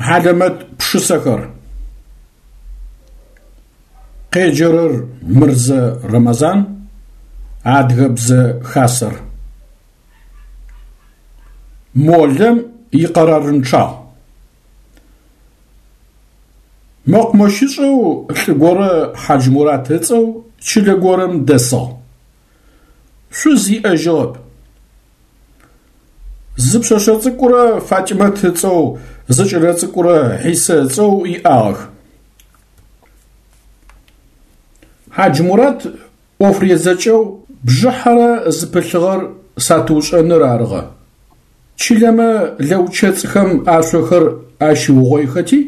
Хьалэмэт пшысэхэр. Къеджэрэр Мырзэ Рэмэзан, Адыгэбзэ Хасэр. Молэм икъэрарынчъагъ. Мэкъумэщышӏэу лӏы горэ Хьаджмурат ыцӏэу чылэ горэм дэсыгъ. Шъуз иӏэжьыгъэп. Зы пшъэшъэ цӏыкӏурэ Фатимэт ыцӏэу, зы кӏэлэ цӏыкӏурэ Хьисэ ыцӏэу иӏагъэх. Хьаджмурат ӏоф резэкӏэу бжыхьэрэ зыпылъыгъэр сатыушӏэныр арыгъэ. Чылэмэ лэучэцӏхэм ашъохэр ащиугъоихэти,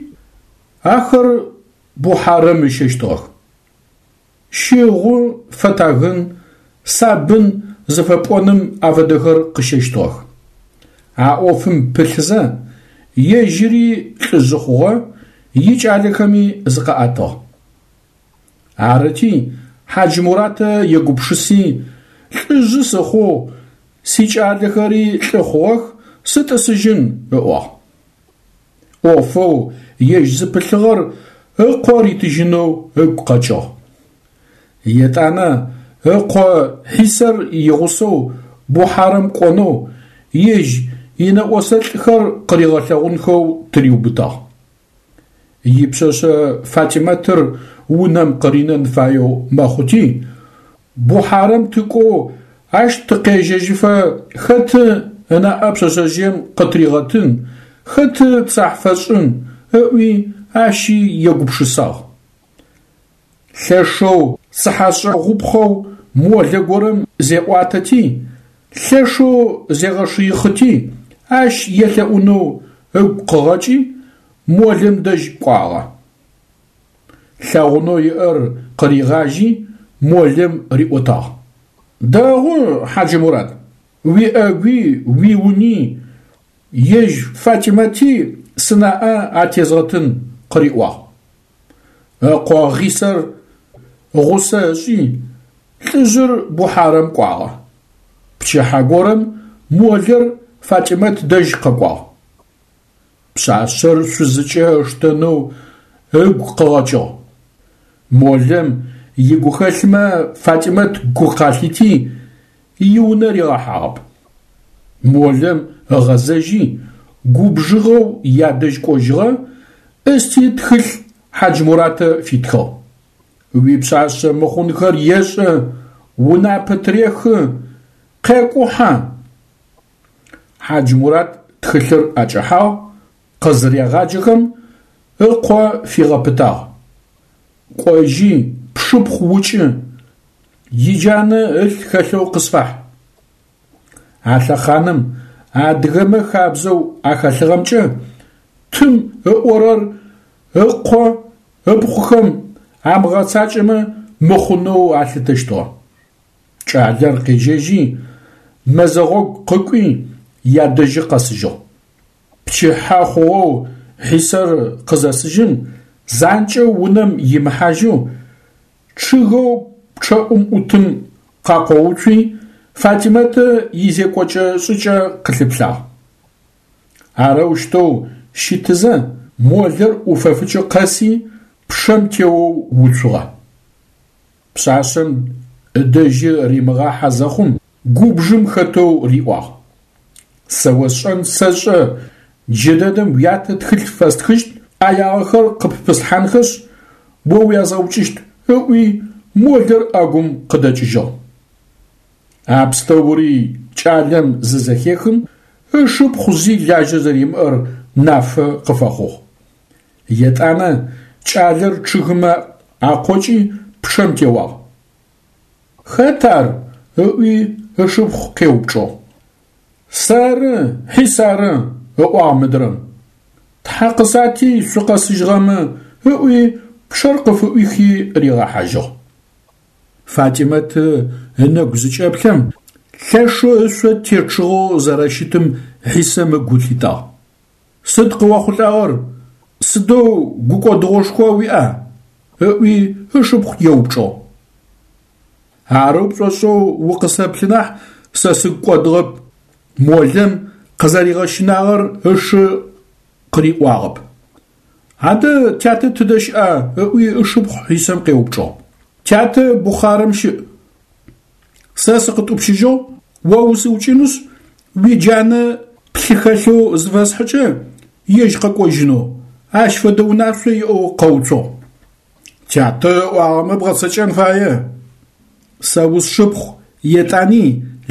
ахэр Бухьарэм ыщэщтыгъэх. Щыгъу, фэтагын, сабын зыфэпӏоным афэдэхэр къыщэщтыгъэх. А ӏофым пылъызэ, ежьыри лӏыжъы хъугъэ, икӏалэхэми зыкъаӏэтыгъ. Арыти, Хьаджмуратэ егупшыси, лӏыжъы сыхъугъ, сикӏалэхэри лӏы хъугъэх, сытӏысыжьын, ыӏуагъ. ӏофэу ежь зыпылъыгъэр ыкъо ритыжьынэу ыгу къэкӏыгъ. Етӏанэ ыкъо Хьисэр игъусэу Бухьарэм кӏонэу, ежь инэӏосэ лӏыхэр къыригъэлъэгъунхэу тыриубытагъ. Ипшъэшъэ Фатимэтыр унэм къыринэн фаеу мэхъути, Бухьарэм тыкӏоу ащ тыкъежьэжьыфэ хэты ынаӏэ пшъэшъэжъыем къытыригъэтын, хэты цахь фэшӏын, ыӏуи ащи егупшысагъ. Лъэшэу цыхьэшӏэгъупхъэу молэ горэм зеӏуатэти, лъэшэу зегъэшыихъыти, ащ елъэӏунэу ыгу къыгъэкӏи, молэм дэжь кӏуагъэ. Лъэгъунэу иӏэр къыригъажьи, молэм риӏотагъ. Дэгъу, Хьаджымурат, уиӏэгуи, уиуни, ежь Фатимэти сынаӏэ атезгъэтын, къыриӏуагъ. Ыкъо Хьисэр гъусэ ышӏи, лӏыжъыр Бухьарэм кӏуагъэ. Пчыхьэ горэм молэр Фатимэт дэжь къэкӏуагъ. Пшъашъэр шъузыкӏэ ыштэнэу ыгу къыгъэкӏыгъ. Молэм игухэлъмэ Фатимэт гу къалъити, иунэ ригъэхьагъэп. Молэм ыгъэзэжьи, губжыгъэу ядэжь кӏожьыгъэ, ӏысти тхылъ Хьаджмуратэ фитхыгъ. Уипшъашъэ мыхъунхэр ешӏэ, унапэ тырехы, къекӏухьэ. Хьаджмурат тхылъыр ӏэкӏэхьагъ, къызырегъаджэхэм ыкъо фигъэпытагъ. Кӏожьи, пшыпхъу укӏы, иджанэ ылъ хэлъэу къысфахь. А лъэхъаным адыгэмэ хабзэу ахэлъыгъэмкӏэ тым ыӏорэр ыкъо ыпхъухэм амыгъэцакӏэмэ мыхъунэу алъытэщтыгъэ. Кӏалэр къежьэжьи, мэзэгъогу къыкӏуи, ядэжьы къэсыжьыгъ. Пчыхьэ хъугъэу Хьисэр къызэсыжьым, занкӏэу унэм имыхьажьэу, чъыгэу пчъэӏум ӏутым къакъоуцуи, Фатимэтэ изекӏокӏэ-шӏыкӏэ къылъыплъагъ. Арэущтэу щытызэ, молэр ӏуфэфыкӏы къэси, пчъэм теоу уцугъэ. Пшъашъэм ыдэжьы римыгъахьэ зэхъум, губжым хэтэу риӏуагъ: Сэ осшӏэн сэшӏэ, джыдэдэм уятэ тхылъ фэстхыщт, ӏэягъэхэр къыппыслъхьанхэшъ, о уязгъэукӏыщт, ыӏуи, молэр ӏэгум къыдэкӏыжьыгъ. А пстэури кӏалэм зызэхехым, ышыпхъу зи лажьэ зэримыӏэр нафэ къыфэхъугъ. Етӏанэ кӏалэр чъыгымэ акъокӏи пчъэм теуагъ. Хэт ар? ыӏуи ышыпхъу къеупчӏыгъ. Сэры, Хьис ары, ыӏуагъ мыдрэм. Тхьэ къысати шъукъэсыжьыгъэмэ, ыӏуи пчъэр къыфыӏуихи ригъэхьажьыгъ. Фатимэт ынэгу зыкӏэплъэм, лъэшэу ышъо течъыгъэу зэрэщытым Хьисэм ыгу лъитагъ. Сыд къыохъулӏагъэр, сыдэу гукӏодыгъошхо уиӏа? ыӏуи ышыпхъу еупчӏыгъ. Арэу пшӏошӏэу укъысэплъы нахь, сэ сыгу кӏодыгъэп, молэм къызэригъэщынагъэр ышы къыриӏуагъэп. Адэ тятэ тыдэ щыӏа? ыӏуи ышыпхъу Хьисэм къеупчӏыгъ. Тятэ Бухъарэм щыӏ. Сэ сыкъытӏупщыжьыгъ, о усыукӏынышъ, уиджанэ плъы хэлъэу зыфэсхьыкӏэ, ежь къэкӏожьынэу, ащ фэдэ унашъо иӏэу къэуцугъ. Тятэ ыӏуагъэмэ бгъэцэкӏэн фае. Сэ усшыпхъу, етӏани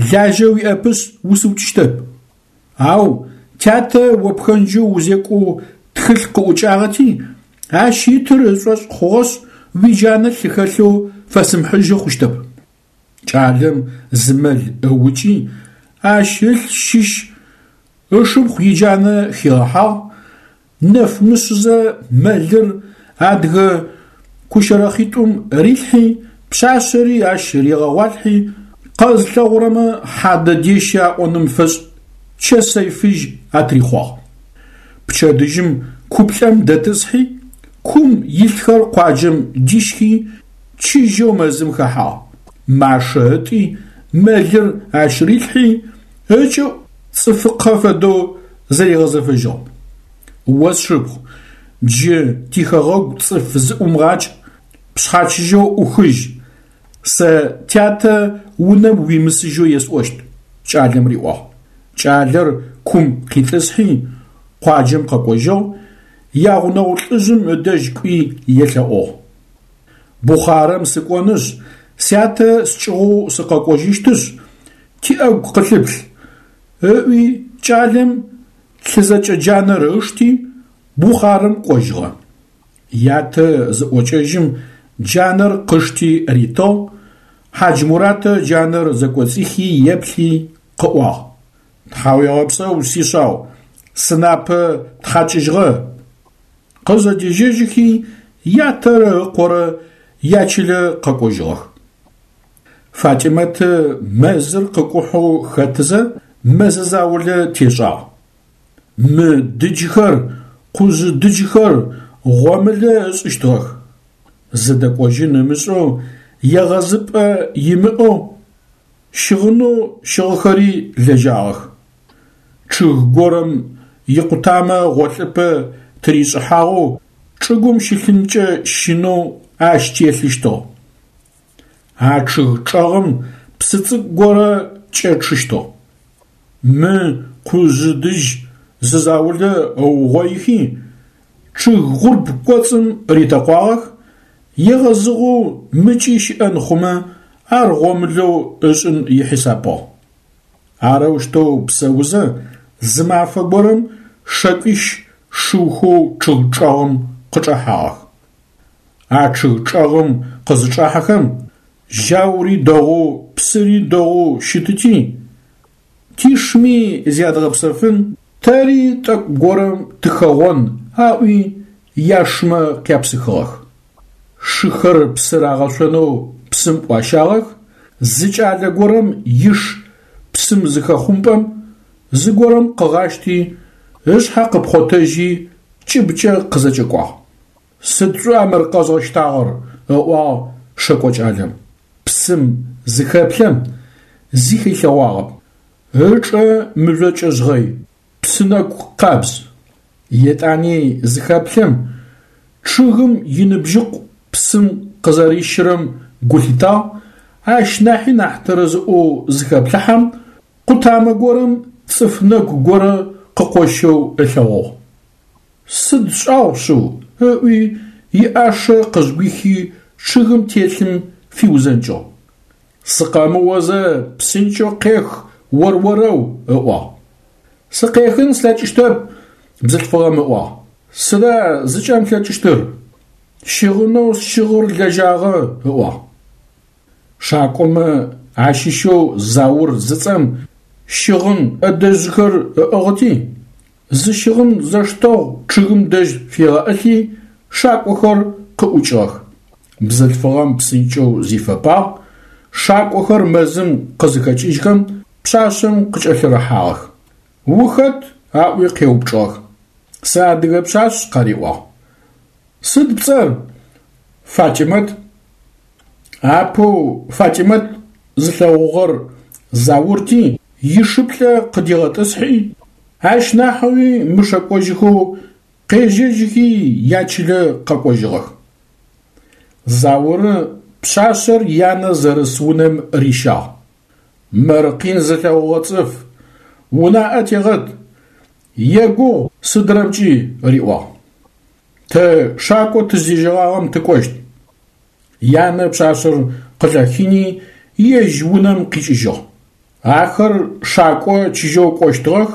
лажьэ уиӏэпышъ усыукӏыщтэп. Ау тятэ о пхэнджэу узекӏоу тхылъ къыӏукӏагъэти, ащ итыр ышӏошъ хъугъэшъ, уиджанэ лъы хэлъэу фэсымыхьыжьы хъущтэп. Кӏалэм зы мэл ыукӏи, ащ ылъ щыщ ышыпхъу иджанэ хигъэхьагъ, нэф мышъызэ мэлыр адыгэ кущэрэхъитӏум рилъхьи, пшъашъэри ащ ригъэгъуалъхьи, къэзылъэгъурэмэ хьадэ дещэ аӏоным фэшӏ чэсэй фыжь атрихъуагъ. Пчэдыжьым куплӏэм дэтӏысхьи, кум илъхэр къуаджэм дищхи, чыжьэу мэзым хэхьагъ. Машэ ытӏи, мэлыр ащ рилъхьи, ыкӏыӏу цӏыфыкъэ фэдэу зэригъэзэфэжьыгъ. О сшыпхъу, джы тихэгъэгу цӏыф зыӏумыгъакӏ, пшъхьэ чыжьэу ӏухыжь, сэ тятэ унэм уимысыжьэу есӏощт, кӏалэм риӏуагъ. Кӏалэр кум къитӏысхьи, къуаджэм къэкӏожьыгъ, ягъунэгъу лӏыжъым ыдэжь кӏуи елъэӏугъ. Бухъарэм сыкӏонышъ, сятэ скӏыгъоу сыкъэкӏожьыщтышъ, тиӏэгу къылъыплъ, ыӏуи кӏалэм лъызэкӏэ джанэр ышти, Бухъарэм кӏожьыгъэ. Ятэ зыӏокӏэжьым джанэр къышти ритыгъ, Хьаджмуратэ джанэр зэкӏоцӏихи еплъи къыӏуагъ: Тхьауегъэпсэу, сишъау, сынапэ птхьакӏыжьыгъэ. Къызэдежьэжьыхи ятэрэ ыкъорэ ячылэ къэкӏожьыгъэх. Фатӏимэты мэзыр къыкӏухьэу хэтызэ мэзэ заулэ тешӏагъ. Мы дыджхэр, къужъы дыджхэр гъомылэ ышӏыщтыгъэх. Зыдэкӏожьын ымышӏэу, егъэзыпӏэ имыӏэу, щыгъынэу щыгъыхэри лэжьагъэх. Чъыг горэм икъутамэ гъолъыпӏэ тыришӏыхьагъэу чӏыгум щылъынкӏэ щынэу ащ телъыщтыгъ. А чъыг чӏэгъым псы цӏыкӏу горэ кӏэчъыщтыгъ. Мы къужъы дыдж зы заулэ ыугъоихи, чъыг гъурб кӏоцӏым ритэкъуагъэх, егъэзыгъэу мыкӏи щыӏэн хъумэ, ар гъомылэу ышӏын ихьисапыгъ. Арэущтэу псэузэ, зы мафэ горэм шэкӏуищ шыухэу чъыг чӏэгъым къычӏэхьагъэх. А чъыг чӏэгъым къызычӏахьэхэм, жьаури дэгъоу, псыри дэгъоу щытыти, тишми зядгъэпсэфын, тэри тӏэкӏу горэм тыхэгъон аӏуи, яшмэ къяпсыхыгъэх. Шыхэр псы рагъэшъонэу псым ӏуащагъэх, зы кӏалэ горэм иш псым зыхэхъумпӏэм, зыгорэм къыгъащти, ышъхьэ къыпхъотэжьи, кӏыбкӏэ къызэкӏэкӏуагъ. Сыд шӏуа мыр къэзгъэщтагъэр? ыӏуагъ шэкӏо кӏалэм. Псым зыхэплъэм, зи хилъэгъуагъэп. Ычӏэ мыжъокӏэ жъгъэй, псынэгу къабз. Етӏани зыхэплъэм, чъыгым иныбжьыкъу псым къызэрищырэм гу лъитагъ, ащ нахьи нахь тэрэзыӏоу зыхэплъыхьэм, къутамэ горэм цӏыф нэгу горэ къыкъощэу ылъэгъугъ. Сыд шӏагъу шъыу, ыӏуи, иӏашэ къызгуихи чъыгым телъым фиузэнкӏыгъ. Сыкъэмыозэ псынкӏэу къех ор-орэу, ыӏуагъ. Сыкъехын слъэкӏыщтэп, бзылъфыгъэм ыӏуагъ. Сыда зыкӏэмылъэкӏыщтыр? Щыгъынэу сщыгъыр лэжьагъэ, ыӏуагъ. Шакӏомэ ащыщэу Заур зыцӏэм щыгъын ӏэдэжьхэр ыӏыгъыти, зы щыгъын зэштэгъу чъыгым дэжь фигъэӏылъи, шакӏохэр къыӏукӏыгъэх. Бзылъфыгъэм псынкӏэу зифэпагъ, шакӏохэр мэзым къызыхэкӏыжьхэм пшъашъэм къыкӏэлъырыхьагъэх. Ухэт? аӏуи къеупчӏыгъэх. Сэ адыгэ пшъашъ, къариӏуагъ. Сыд пцӏэр? Фатимэт. Апэу Фатимэт зылъэгъугъэр Заурти, ишыплӏэ къыдигъэтӏысхьи, ащ нахьэуи мышэкӏожьыхэу Къежьэжьхи ячылэ къэкӏожьыгъэх. Зауры пшъашъэр янэ зэрыс унэм рищагъ. Мыр къин зылъэгъугъэ цӏыф, унаӏэ тегъэт, егугъу сыдрэмкӏи, риӏуагъ. Тэ шакӏо тыздежьэгъагъэм тыкӏощт. Янэ пшъашъэр къылъэхини, ежь унэм къикӏыжьыгъ. Ахэр шакӏо чыжьэу кӏощтыгъэх,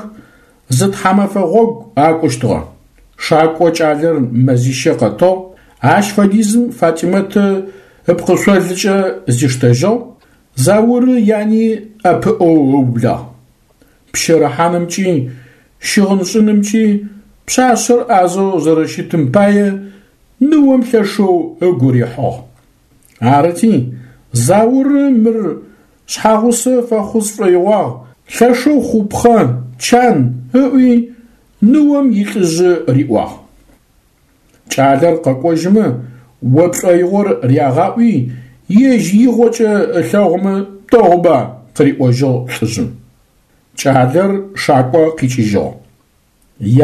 зы тхьамэфэ гъогу акӏущтыгъэ. Шакӏо кӏалэр мэзищэ къэтыгъ, ащ фэдизым Фатимэты ыпкъышъолыкӏэ зиштэжьыгъ, Зауры яни ӏэпыӏэу ыублагъ. Пщэрыхьанымкӏи, щыгъыншӏынымкӏи пшъашъэр ӏазэу зэрэщытым пае ныом лъэшэу ыгу рихьыгъ. Арыти, Зауры мыр шъхьагъусэ фэхъу сшӏоигъуагъ, лъэшэу хъупхъэ, чан, ыӏуи, ныом илӏыжъы риӏуагъ. Кӏалэр къэкӏожьымэ, о пшӏоигъор рягъаӏуи, ежь игъокӏэ ылъэгъумэ дэгъуба, къыриӏожьыгъ лӏыжъым. Кӏалэр шакӏо къикӏыжьыгъ.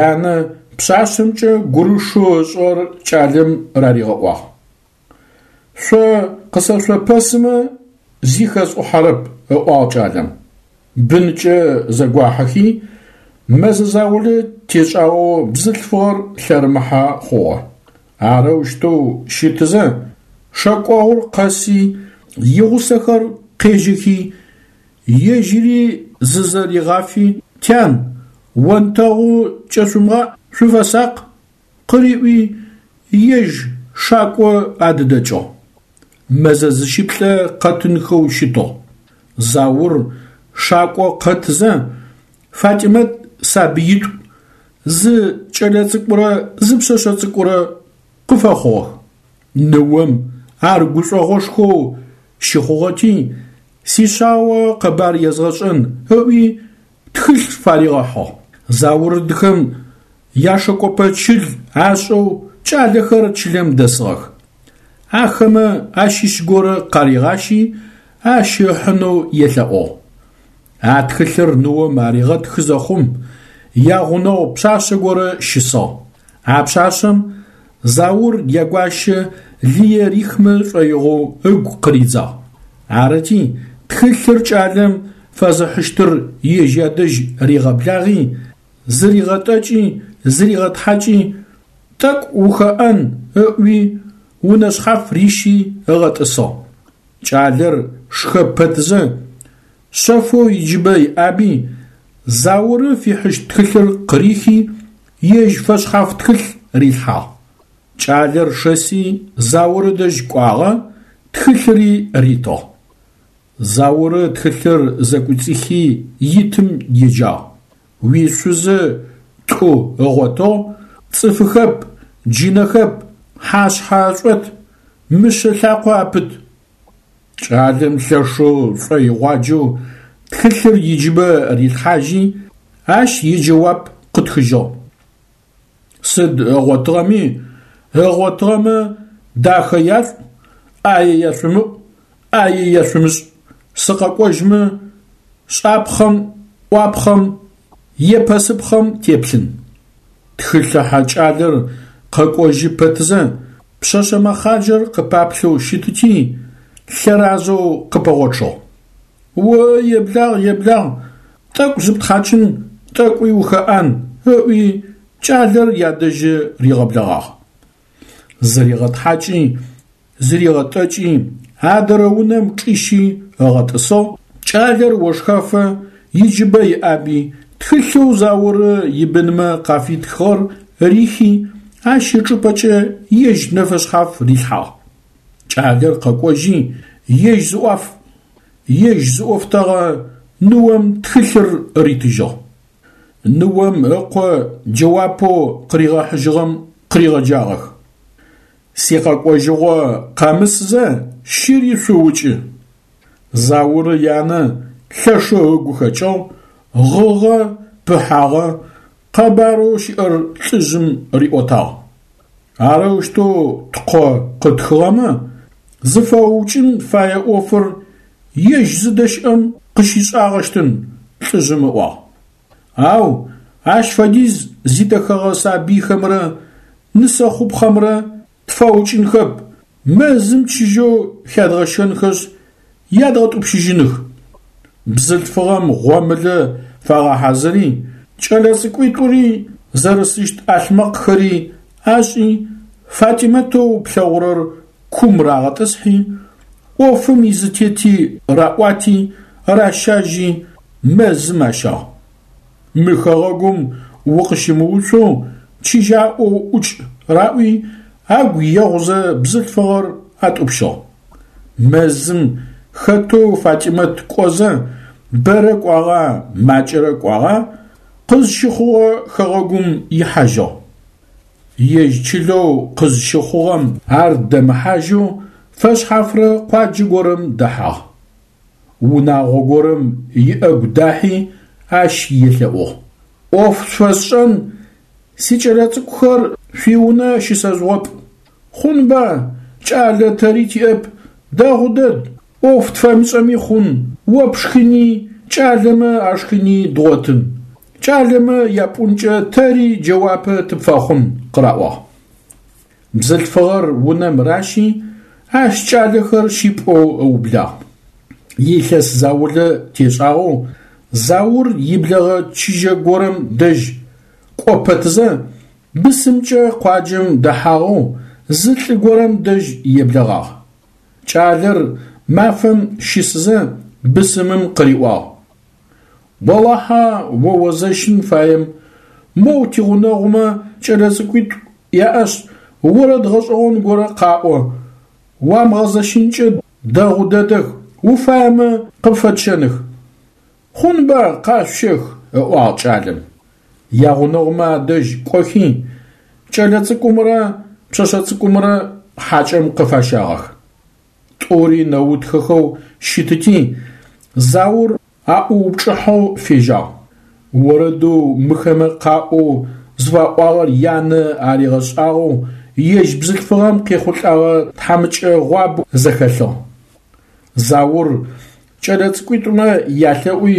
Янэ пшъашъэмкӏэ гурышэу ышӏыгъэр кӏалэм раригъэӏуагъ. Шъо къысэшъопэсымэ, зи хэсӏухьэрэп, ыӏуагъ кӏалэм. Бынкӏэ зэгуахьэхи, мэзэ заулэ тешӏагъэу бзылъфыгъэр лъэрымыхьэ хъугъэ. Арэущтэу щытызэ, шэкӏогъур къэси, игъусэхэр къежьэхи, ежьыри зызэригъафи, Тян, онтэгъу кӏэшъумыгъаӏ, шъуфэсакъ, къыриӏуи, ежь шакӏо адыдэкӏыгъ. Мэзэ зыщыплӏэ къэтынхэу щытыгъ. Заур шакӏо къэтызэ, Фатимэт сабыитӏу, зы кӏэлэцӏыкӏурэ зы пшъэшъэ цӏыкӏурэ къыфэхъугъэх. Ныом ар гушӏогъошхоу щыхъугъэти, сишъао къэбар езгъэшӏэн ыӏуи, тхылъ фаригъэхьыгъ. Заурдхэм яшэкӏопэ чыл ашӏэу кӏалэхэр чылэм дэсыгъэх. Ахэмэ ащыщ горэ къаригъащи, ащ ыхьынэу елъэӏугъ. А тхылъыр ныом аригъэтхы зэхъум, ягъунэгъу пшъашъэ горэ щысыгъ. А пшъашъэм Заур ягуащэ лые рихмэ шӏоигъоу ыгу къыридзагъ. Арыти, тхылъыр кӏалэм фэзыхьыщтыр ежь ядэжь ригъэблагъи, зыригъэтӏэкӏи, зыригъэтхьакӏи, тӏэкӏу ухэӏэн ыӏуи, унэ шъхьаф рищи ыгъэтӏысыгъ. Кӏалэр шхэ пэтзэ, шъэфэу иджыбэ иӏаби, Зауры фихьыщт тхылъыр къырихи, ежь фэшъхьаф тхылъ рилъхьагъ. Кӏалэр шэси Зауры дэжь кӏуагъэ, тхылъыри ритыгъ. Зауры тхылъыр зэкӏуцӏихи итым еджагъ. Уишъузы тӏу ыгъотыгъ, цӏыфыхэп, джынэхэп, хьашъхьэ ашӏот, мышъэ лъакъо апыт. Кӏалэм лъэшэу шӏоигъуаджэу тхылъыр иджыбэ рилъхьажьи, ащ иджэуап къытхыжьыгъ. Сыд ыгъотыгъэми, ыгъотыгъэмэ дахэ яшӏу, ӏае яшъумыӏу, ӏае яшъумышӏ, сыкъэкӏожьмэ, шӏапхъэм, ӏуапхъэм, епэсыпхъэм теплъын. Тхылъыхьэ кӏалэр къэкӏожьы пэтзэ, пшъэшъэ мэхъаджэр къыпаплъэу щытыти, лъэразэу къыпэгъочъыгъ. О еблагъ, еблагъ, тӏэкӏу зыптхьакӏын, тӏэкӏуи ухэӏан, ыӏуи, кӏалэр ядэжьы ригъэблэгъагъ. Зыригъэтхьакӏи, зыригъэтӏэкӏи, адырэ унэм чӏищи ыгъэтӏысыгъ, кӏалэр ошхэфэ иджыбэ иӏаби, тхылъэу Зауры ибынмэ къафитхыгъэр рихи, ащ ычӏыпӏэкӏэ ежь нэфэшъхьаф рилъхьагъ. Кӏалэр къэкӏожьи, ежь зыӏуаф, ежь зыӏофтэгъэ ныом тхылъыр ритыжьыгъ. Ныом ыкъо джэуапэу къыригъэхьыжьыгъэм къыригъэджагъэх. Сикъэкӏожьыгъо къэмысзэ, щыри шъуукӏы. Зауры янэ лъэшэу ыгу хэкӏыгъ, гъыгъэ, пыхьагъэ, къэбарэу щыӏэр лӏыжъым риӏотагъ. Арэущтэу ткъо къытхыгъэмэ, зыфэуукӏын фае ӏофыр ежь зыдэщыӏэм къыщишӏагъэщтын, лӏыжъым ыӏуагъ. Ау Ащ фэдиз зидэхэгъэ сабыйхэмрэ нысэ хъупхъэмрэ тфэукӏынхэп, мэзым чыжьэу хядгъэщэнхэшъ, ядгъэтӏупщыжьыных. Бзылъфыгъэм гъомылэ фагъэхьазыри, кӏэлэцӏыкӏуитӏури зэрысыщт ӏалъмэкъхэри ашӏи, Фатимэтэу плъэгъурэр кум рагъэтӏысхьи, ӏофым изытети раӏуати, ращажьи, мэзым ащагъ. Мы хэгъэгум укъыщымыуцоу чыжьаӏоу ӏукӏ раӏуи, агу егъузэ бзылъфыгъэр атӏупщыгъ. Мэзым хэтэу Фатимэт кӏозэ, бэрэ кӏуагъа, макӏэрэ кӏуагъа, къызщыхъугъэ хэгъэгум ихьажьыгъ. Ежь чылэу къызщыхъугъэм ар дэмыхьажьэу фэшъхьафрэ къуаджэ горэм дэхьагъ. Унагъо горэм иӏэгу дахьи ащ елъэӏугъ: «Ӏоф шъуфэсшӏэн, сикӏэлэцӏыкӏухэр шъуиунэ щысэжъугъэпӏ. Хъунба, кӏалэ тэри тиӏэп, дэгъу дэд, ӏоф тфэмышӏэми хъун, о пшхыни, кӏалэмэ ашхыни дгъотын. Кӏалэмэ япӏункӏэ тэри джэуапэ тыпфэхъун», къыраӏуагъ. Бзылъфыгъэр унэм ращи, ащ кӏалэхэр щипӏоу ыублагъ. Илъэс заулэ тешӏагъэу Заур иблэгъэ чыжьэ горэм дэжь кӏо пэтзэ, бысымкӏэ къуаджэм дэхьагъэу зы лӏы горэм дэжь еблэгъагъ. Кӏалэр мафэм щысызэ бысымым къыриӏуагъ: Олахьэ о озэщын фаем, моу тигъунэгъумэ кӏэлэцӏыкӏуитӏу яӏэшъ, орэд гъэшӏэгъон горэ къаӏо, уамыгъэзэщынкӏэ дэгъу дэдэх, уфаемэ къыпфэтщэных. Хъунба, къашъущэх, ыӏуагъ кӏалэм. Ягъунэгъумэ адэжь кӏохи, кӏэлэцӏыкӏумрэ пшъэшъэ цӏыкӏумрэ хьакӏэм къыфащагъэх. Тӏури нэутхэхэу щытыти, Заур аӏуупчӏыхьэу фежьагъ. Орэдэу мыхэмэ къаӏоу зыфаӏуагъэр янэ аригъэшӏагъэу ежь бзылъфыгъэм къехъулӏэгъэ тхьамыкӏэгъуабэу зэхэлъыгъ. Заур кӏэлэцӏыкӏуитӏумэ ялъэӏуи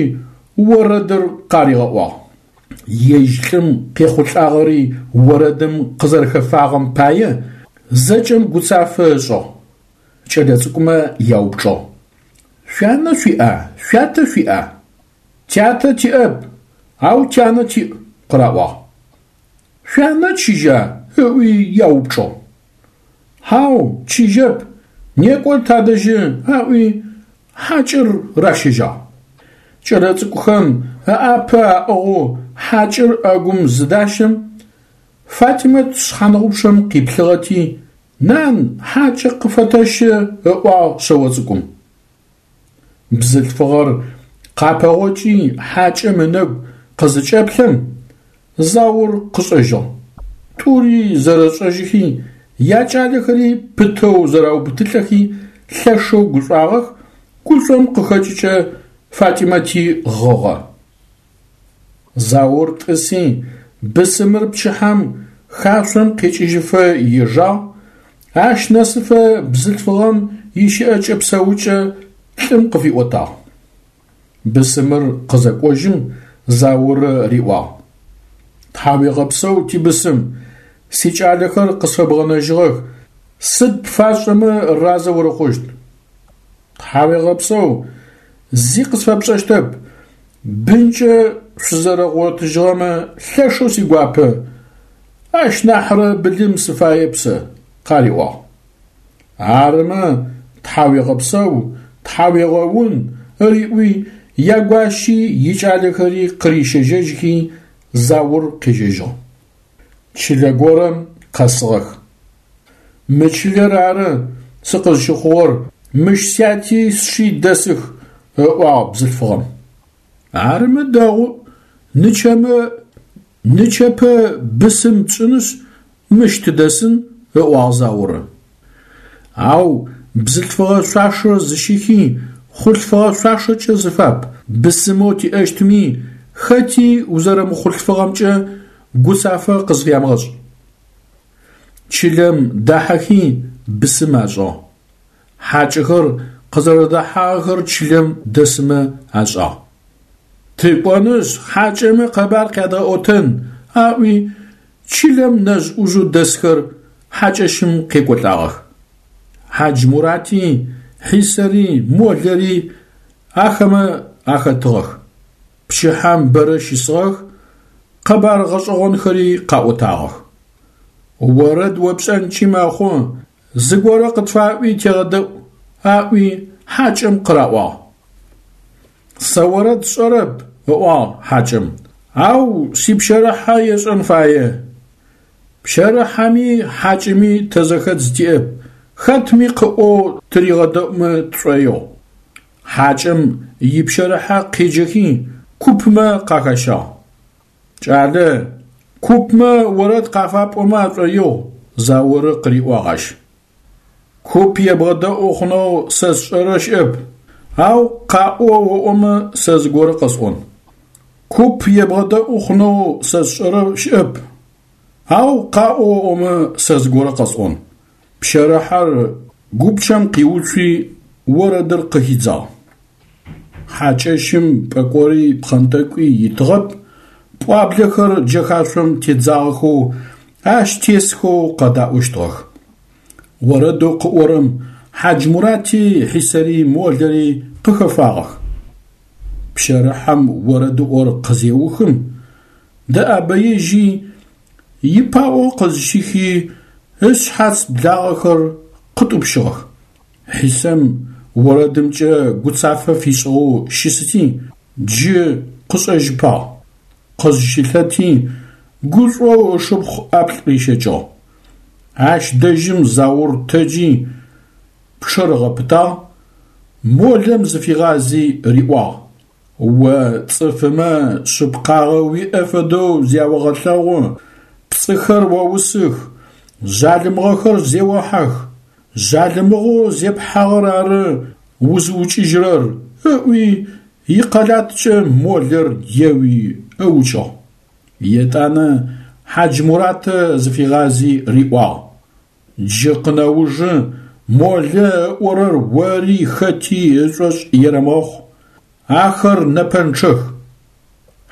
орэдыр къаригъэӏуагъ. Ежь лӏым къехъулӏагъэри орэдым къызэрэхэфагъэм пае зэкӏэм гуцафэ ышӏыгъ. Кӏэлэцӏыкӏумэ яупчӏыгъ: Шъуянэ шъуиӏа, шъуятэ шъуиӏа? Тятэ тиӏэп, ау тянэ тиӏ, къыраӏуагъ. Шъуянэ чыжьа? ыӏуи яупчӏыгъ. Хьау, чыжьэп, некӏо тадэжьы, аӏуи хьакӏэр ращэжьагъ. Кӏэлэцӏыкӏухэм ыӏапэ аӏыгъэу хьакӏэр ӏэгум зыдащэм, Фатимэт шъхьаныгъупчъэм къиплъыгъэти, Нан, хьакӏэ къыфэтэщэ, ыӏуагъ шъэо цӏыкӏум. Бзылъфыгъэр къапэгъокӏи хьакӏэм ынэгу къызыкӏэплъэм, Заур къышӏэжьыгъ. Тӏури зэрэшӏэжьыхи, якӏалэхэри пытэу зэрэубытылӏэхи лъэшэу гушӏуагъэх, гушӏом къыхэкӏыкӏэ Фатимэти гъыгъэ. Заур тӏыси, бысымыр пчыхьэм хашъом къекӏыжьыфэ ежагъ, ащ нэсыфэ бзылъфыгъэм ищыӏэкӏэ-псэукӏэ лӏым къыфиӏотагъ. Бысымыр къызэкӏожьым Заурэ риӏуагъ: Тхьауегъэпсэу, тибысым, сикӏалэхэр къысфэбгъэнэжьыгъэх, сыд пфасшӏэмэ разэ урыхъущт? Тхьауегъэпсэу, зи къысфэпшӏэщтэп, бынкӏэ шъузэрэгъотыжьыгъэмэ лъэшэу сигуапэ, ащ нахьрэ былым сыфаеп сэ, къариӏуагъ. Арымэ, тхьауегъэпсэу, тхьауегъэун, ыриӏуи, ягуащи икӏалэхэри къырищэжьэжьхи, Заур къежьэжьыгъ. Чылэ горэм къэсыгъэх. Мы чылэр ары сыкъызщыхъугъэр, мыщ сяти сши дэсых, ыӏуагъ бзылъфыгъэм. Арымэ дэгъу, нычэмэ нычэпэ бысым тшӏынышъ, мыщ тыдэсын, ыӏуагъ Заурэ. Ау бзылъфыгъэ шъуашэр зыщыхи, хъулъфыгъэ шъуашэкӏэ зыфап, бысымэу тиӏэщтми, хэти узэрэмыхъулъфыгъэмкӏэ гуцафэ къызфямыгъэшӏ. Чылэм дахьэхи бысым ашӏыгъ. Хьакӏэхэр къызэрэдэхьагъэхэр чылэм дэсымэ ашӏагъ. Тыкӏонышъ, хьакӏэмэ къэбар къядгъэӏотэн, – аӏуи чылэм нэжъ-ӏужъэу дэсхэр хьакӏэщым къекӏолӏагъэх. Хьаджмурати, Хьисэри, Молэри ахэмэ ахэтыгъэх. Пчыхьэм бэрэ щысыгъэх, къэбар гъэшӏэгъонхэри къаӏотагъэх. Орэд о пшӏэнкӏи мэхъу, зыгорэ къытфаӏуи тегъэдэӏу, – аӏуи хьакӏэм къыраӏуагъ. Сэ орэд сшӏэрэп, – ыӏуагъ хьакӏэм, – ау сипщэрыхьэ ешӏэн фае. Пщэрыхьэми хьакӏэми тэ зэхэдз тиӏэп, хэтми къыӏоу тыригъэдэӏумэ тшӏоигъу. Хьакӏэм ипщэрыхьэ къеджэхи купмэ къахэщагъ. Кӏалэ, купмэ орэд къафапӏомэ ашӏоигъу, Зауры къыриӏуагъ ащ. Куп ебгъэдэӏу хъунэу сэ сшӏэрэ щыӏэп, ау къаӏо оӏомэ сэ зыгорэ къэсӏон. Куп ебгъэдэӏу хъунэу сэ сшӏэрэ щыӏэп, ау къаӏо оӏомэ сэ зыгорэ къэсӏон. Пщэрыхьэр гупчэм къиуцуи орэдыр къыхидзагъ. Хьакӏэщым пӏэкӏори пхъэнтӏэкӏуи итыгъэп, пӏуаблэхэр джэхашъом тедзагъэхэу, ащ тесхэу къэдаӏощтыгъэх. Орэдэу къыӏорэм Хьаджмурати, Хьисэри, Молэри къыхэфагъэх. Пщэрыхьэм орэдыӏор къызеухым, дэӏэбэежьи, ипаӏо къызщихи, ышъхьац благъэхэр къытӏупщыгъэх. Хьисэм орэдымкӏэ гуцафэ фишӏыгъэу щысыти, джы къышӏэжьыпагъ. Къызщылъэти, гушӏоу ышыпхъу ӏаплӏ рищэкӏыгъ. Ащ дэжьым Заур тэджи, пчъэр ыгъэпытагъ, Молэм зыфигъази риӏуагъ: О цӏыфымэ шъыпкъагъэ уиӏэ фэдэу зяогъэлъэгъу, пцӏыхэр оусых, жъалымыгъэхэр зеохьэх, жъалымыгъэу зепхьагъэр ары узыукӏыжьырэр, ыӏуи икъэлаткӏэ Молэр еуи ыукӏыгъ. Етӏанэ Хьаджмуратэ зыфигъази риӏуагъ: Джы къынэужы Молэ ыӏорэр ори хэти ышӏошъ ерэмыгъэхъу, ахэр нэпэнчъэх.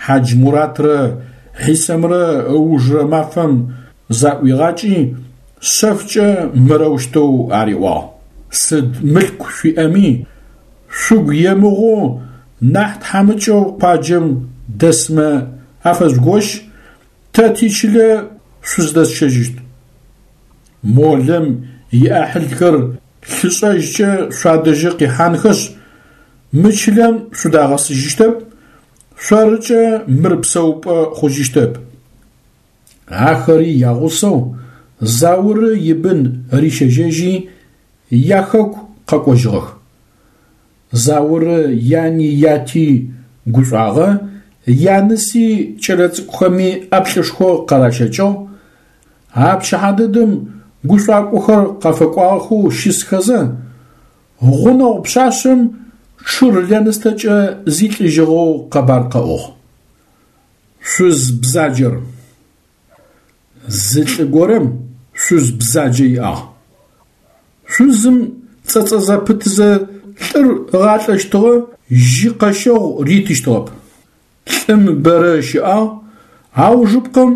Хьаджмуратрэ Хьисэмрэ ыужырэ мафэм заӏуигъакӏи, шъэфкӏэ мырэущтэу ариӏуагъ: Сыд мылъку шъуиӏэми, шъугу емыгъоу нахь тхьамыкӏэу къуаджэм дэсмэ афэжъугощ, тэ тичылэ шъуздэсщэжьыщт. Молэм иӏахьылхэр лъышӏэжькӏэ шъуадэжьы къихьанхэшъ, мы чылэм шъудагъэсыжьыщтэп, шъорыкӏэ мыр псэупӏэ хъужьыщтэп. Ахэри ягъусэу Зауры ибын рищэжьэжьи, яхэку къэкӏожьыгъэх. Зауры яни яти гушӏуагъэ, яныси кӏэлэцӏыкӏухэми ӏаплӏышхо къаращэкӏыгъ. А пчыхьэ дэдэм гушӏуакӏохэр къафэкӏуагъэхэу щысхэзэ, гъунэгъу пшъашъэм шыр лэныстэкӏэ зилӏыжьыгъэу къэбар къэӏугъ. Шъуз бзаджэр. Зы лӏы горэм шъуз бзаджэ иӏагъ. Шъузым цӏэцӏэ зэпытызэ лӏыр ыгъалӏэщтыгъэ, жьы къэщэгъу ритыщтыгъэп. Лӏым бэрэ ыщыӏагъ, аужыпкъэм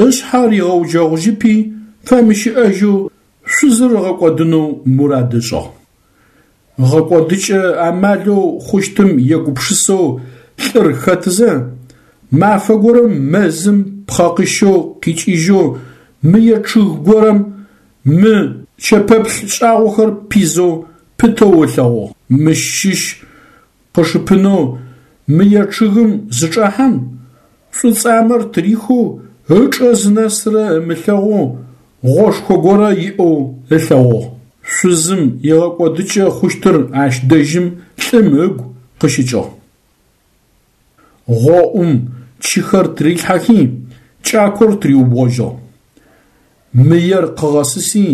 ышъхьэ ригъэуджэгъужьыпи, фэмыщыӏэжьэу шъузыр ыгъэкӏодынэу мурад ышӏыгъ. Гъэкӏодыкӏэ амалэу хъущтым егупшысэу лӏыр хэтызэ, мафэ горэм мэзым пхъэ къыщэу къикӏыжьэу мые чъыг горэм мы чэпэплъ шӏагъохэр пизэу пытэу ылъэгъугъ. Мыщ щыщ къышыпынэу мые чъыгым зычӏахьэм, шӏуцӏамэр тырихэу ычӏэ зынэсырэ ымылъэгъоу гъошхо горэ иӏэу ылъэгъугъ. Шъузым игъэкӏодыкӏэ хъущтыр ащ дэжьым лӏым ыгу къыщыкӏыгъ. Гъоӏум чыхэр тырилъхьэхи, кӏакор тыриубгъожьыгъ. Мыер къыгъэсыси,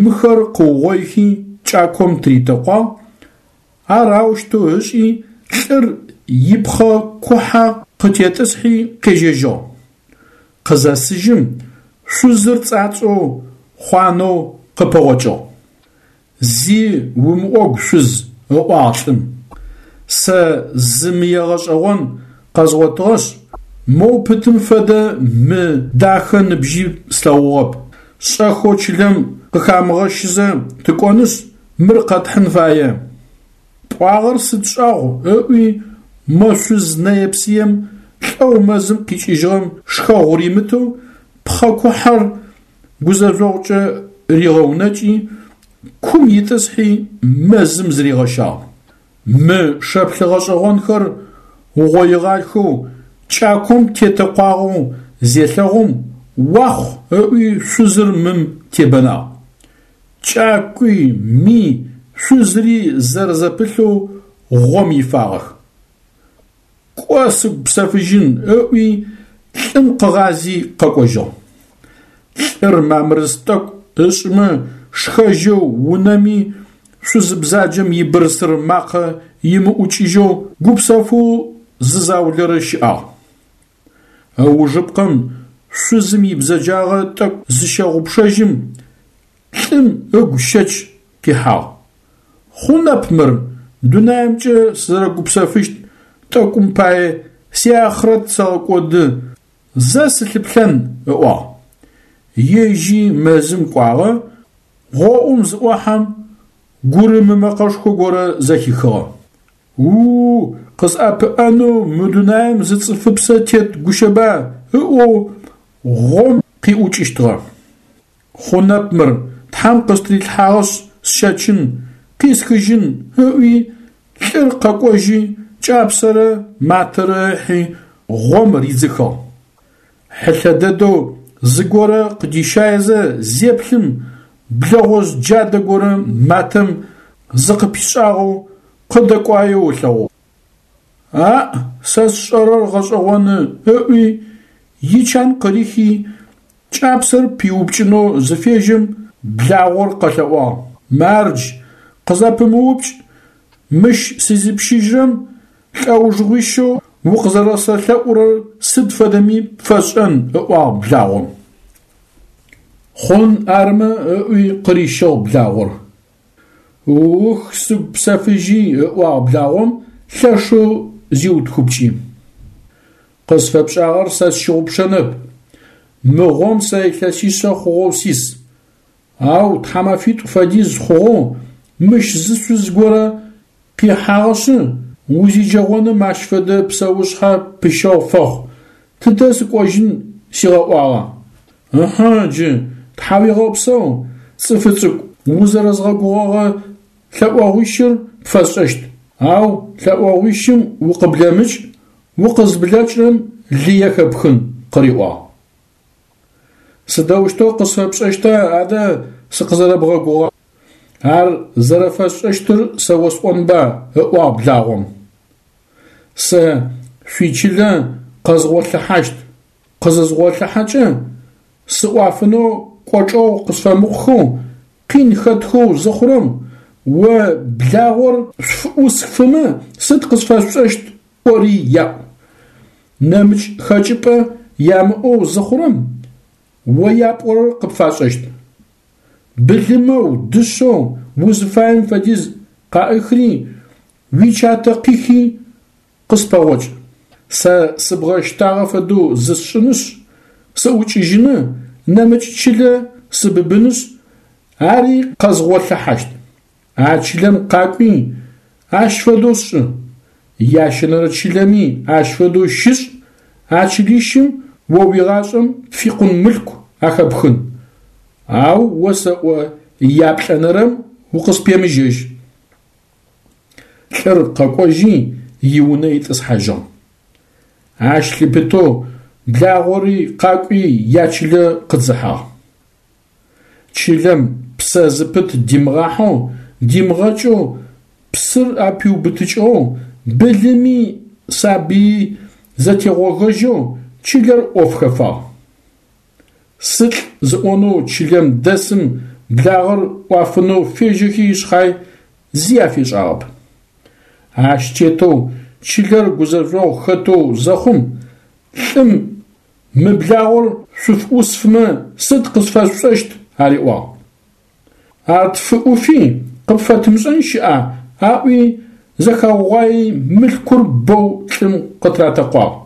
мыхэр къыугъоихи кӏаком тыритэкъуагъ, ар аущтэу ышӏи, лӏыр ипхъэ кухьэ къытетӏысхьи къежьэжьыгъ. Къызэсыжьым, шъузыр цӏацӏэу, хъуанэу къыпэгъокӏыгъ. Зи умыӏогу, шъуз, ыӏуагъ лӏым. Сэ зы мые гъэшӏэгъон къэзгъотыгъэшъ, моу пытым фэдэ мы дахэ ныбжьи слъэгъугъэп. Шӏэхэу чылэм къыхамыгъэщызэ тыкӏонышъ, мыр къэтхьын фае. Пӏуагъэр сыд шӏагъу, ыӏуи мо шъуз нэе-псыем лӏэу мэзым къикӏыжьыгъэм шхэгъу римытэу пхъэ кухьэр гузэжъогъукӏэ ригъэунэкӏи, кум итӏысхьи мэзым зыригъэщагъ. Мы шэплъы гъэшӏэгъонхэр угъоигъахэу кӏаком тетэкъуагъэу зелъэгъум, уахъу ыӏуи шъузыр мым тебэнагъ. Кӏакуи, ми, шъузри зэрэзэпылъэу гъом ифагъэх. Кӏо сыгу псэфыжьын ыӏуи лӏым къыгъази къэкӏожьыгъ. Лӏыр мамрыс тӏэкӏу ышӏымэ шхэжьэу унэми шъузы бзаджэм ибырсыр макъэ имыӏукӏыжьэу гупсэфэу зы заулэрэ щыӏагъ. Ыужыпкъэм шъузым ибзэджагъэ тӏэкӏу зыщэгъупшэжьым, лӏым ыгу щэч къихьагъ. Хъунэп мыр, дунаимкӏэ сызэрэгупсэфыщт тӏэкӏум пае сиахърэт сэгъэкӏоды, зэ сылъыплъэн, ыӏуагъ. Ежьи мэзым кӏуагъэ, гъоӏум зыӏохьэм, гурымы мэкъэшхо горэ зэхихыгъэ. У-у, къысӏэпыӏэнэу мы дунаим зы цӏыфыпсэ тет гущэба, ыӏоу гъом къиӏукӏыщтыгъэ. Хъунэп мыр, Тхьэм къыстрилъхьагъэшъ сщэчын, къисхыжьын, ыӏуи, лӏыр къэкӏожьи, кӏапсэрэ матэрэ ыхьи, гъом ридзыхыгъ. Хьылъэ дэдэу зыгорэ къыдищаезэ зеплъым, блэгъожъ джадэ горэ матэм зыкъыпишӏагъэу къыдэкӏуаеу ылъэгъугъ. Аӏ, сэ сшӏэрэр гъэшӏэгъоны, ыӏуи, ичан къырихи, кӏапсэр пиупкӏынэу зыфежьэм, благъор къэлъэӏуагъ: Мардж, къызэпымыупкӏ, мыщ сызипщыжьрэм лӏэужыгъуищэу укъызэрэсэлъэӏурэр сыд фэдэми пфэсшӏэн, ыӏуагъ благъом. Хъун армэ, ыӏуи къырищыгъ благъор. Ух, сыгу псэфыжьи, ыӏуагъ благъом, лъэшэу зиутхыпкӏи. Къысфэпшӏагъэр сэ сщыгъупшэнэп. Мы гъом сэ илъэсишъэ хъугъэу сис. Ау тхьамэфитӏу фэдиз хъугъэу мыщ зы шъуз горэ къихьагъэшъы, узиджэгъоным ащ фэдэ псэушъхьэ пыщэгъу фэхъу, тыдэ сыкӏожьын сигъэӏуагъа? Ыхьы, джы, тхьауегъэпсэу, цӏыфы цӏыкӏу, узэрэзгъэгугъэгъэ лъэӏогъуищыр пфэсшӏэщт, ау лъэӏогъуищым укъыблэмыкӏ, укъызблэкӏрэм лые хэпхын, къыриӏуагъ. Сыдэущтэу къысфэпшӏэщта адэ сыкъызэрэбгъэгугъа? Ар зэрэфэсшӏэщтыр сэ осӏонба, ыӏуагъ благъом. Сэ шъуичылэ къэзгъолъыхьащт, къызызгъолъыхьэкӏэ, сыӏуафынэу кӏочӏэгъу къысфэмыхъухэу, къин хэтхэу зыхъурэм, о благъор шъуфыӏусфымэ, сыд къысфэшъушӏэщт ӏори яӏу. Нэмыкӏ хэкӏыпӏэ ямыӏэу зыхъурэм, о япӏорэр къыпфашӏэщт. Былымэу, дышъэу узыфаем фэдиз къаӏыхри, уичатэ къихи, къыспэгъокӏ. Сэ сыбгъэщтагъэ фэдэу зысшӏынышъ, сыӏукӏыжьыны, нэмыкӏ чылэ сыбыбынышъ, ари къэзгъолъыхьащт. А чылэм къакӏуи, ащ фэдэу шӏы. Ящэнэрэ чылэми ащ фэдэу щышӏ, а чылищым о уигъашӏэм пфикъун мылъку ахэпхын. Ау осэӏо яплӏэнэрэм укъыспемыжьэжь. Лӏыр къэкӏожьи, иунэ итӏысхьажьыгъ. Ащ лъыпытэу благъори къакӏуи ячылэ къыдзыхьагъ. Чылэм псэ зыпыт димыгъахьэу, димыгъэкӏэу, псыр апиубытыкӏыгъэу, былыми сабыи зэтегъогэжьэу чылэр ӏоф хэфагъ. Сылӏ зыӏонэу чылэм дэсым благъэр ӏуафынэу фежьэхи шъхьай зи афишӏагъэп. Ащ тетэу чылэр гузэжъогъу хэтэу зэхъум, лӏым Мы благъор шъуфыӏусфымэ сыд къысфэшъушӏэщт? ариӏуагъ. Ар тфыӏуфи, къыпфэтымышӏэн щыӏа? аӏуи, зэхаугъуаи мылъкур бэу лӏым къытыратэкъуагъ.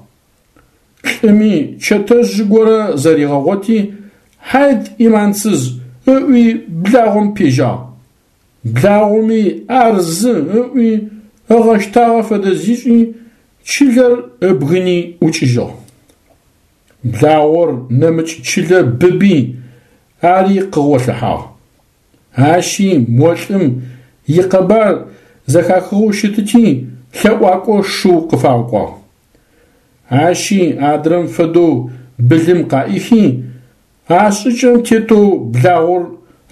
Лӏыми чэтэжъ горэ зэригъэгъоти, хьайд ӏиманцыз ыӏуи благъом пежьагъ. Благъоми ар зы ыӏуи ыгъэщтагъэ фэдэ зишӏи, чылэр ыбгыни ӏукӏыжьыгъ. Благъор нэмыкӏ чылэ быби, ари къыгъолъыхьагъ. Ащи мо лӏым икъэбар зэхахыгъэу щытыти, лъэӏуакӏо шыу къыфагъэкӏуагъ. Ащи адрэм фэдэу былым къаӏихи, а шӏыкӏэм тетэу благъор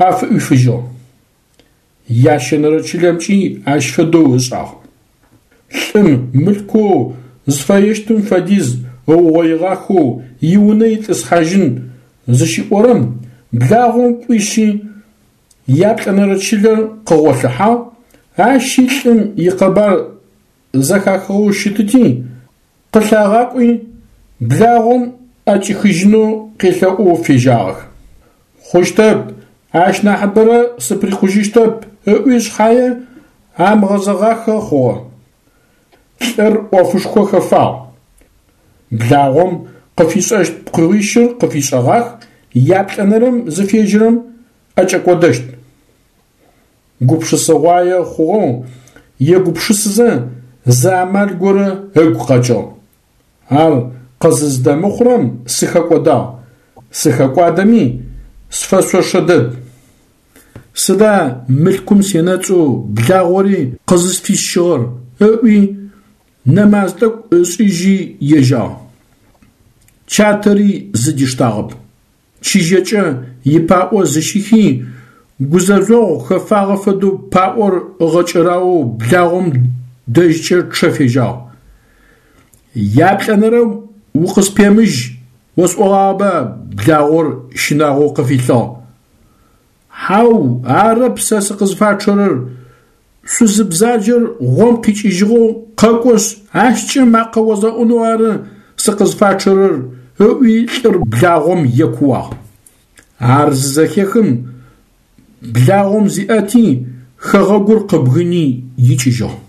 афыӏуифыжьыгъ. Ящэнэрэ чылэмкӏи ащ фэдэу ышӏагъ. Лӏым мылъкоу зыфэещтым фэдиз ыугъоигъахэу иунэ итӏысхьажьын зыщиӏорэм, благъом кӏуищи, яплӏэнэрэ чылэр къыгъолъыхьагъ, ащи лӏым икъэбар зэхахыгъэу щытыти, къылъагъакӏуи, благъом ӏэкӏихыжьынэу къелъэӏоу фежьагъэх. Хъущтэп, ащ нахьыбэрэ сыприкъужьыщтэп, ыӏуи шъхьае, амыгъэзэгъахэ хъугъэ. Лӏыр ӏофышхо хэфагъ. Благъом къыфишӏэщт пкъыгъуищыр къыфишӏэгъах, яплӏэнэрэм зыфежьэрэм ӏэкӏэкӏодэщт. Гупшысэгъуае хъугъэу егупшысызэ, зы амал горэ ыгу къэкӏыгъ. Ар къызыздэмыхъурэм сыхэкӏодагъ, сыхэкӏуадэми, сфэшъошэ дэд. Сыда мылъкум сенэцӏэу благъори къызысфисщыгъэр? ыӏуи, нэмаз тӏэкӏу ышӏыжьи ежьагъ. Чатэри зыдиштагъэп. Чыжьэкӏэ ипаӏо зыщихи, гузэжъогъу хэфагъэ фэдэу паӏор ыгъэкӏэраоу благъом дэжькӏэ чъэ фежьагъ. Яплӏэнэрэм укъыспемыжь осӏогъагъэба благъор щынагъоу къыфилъыгъ. Хьау, арэп сэ сыкъызфачъэрэр, шъузы бзаджэр гъом къикӏыжьыгъэу къэкӏошъ, ащкӏэ макъэ озгъэӏунэу ары сыкъызфачъэрэр, ыӏуи лӏыр благъом екууагъ. Ар зызэхехым, благъом зиӏэти, хэгъэгур къыбгыни икӏыжьыгъ.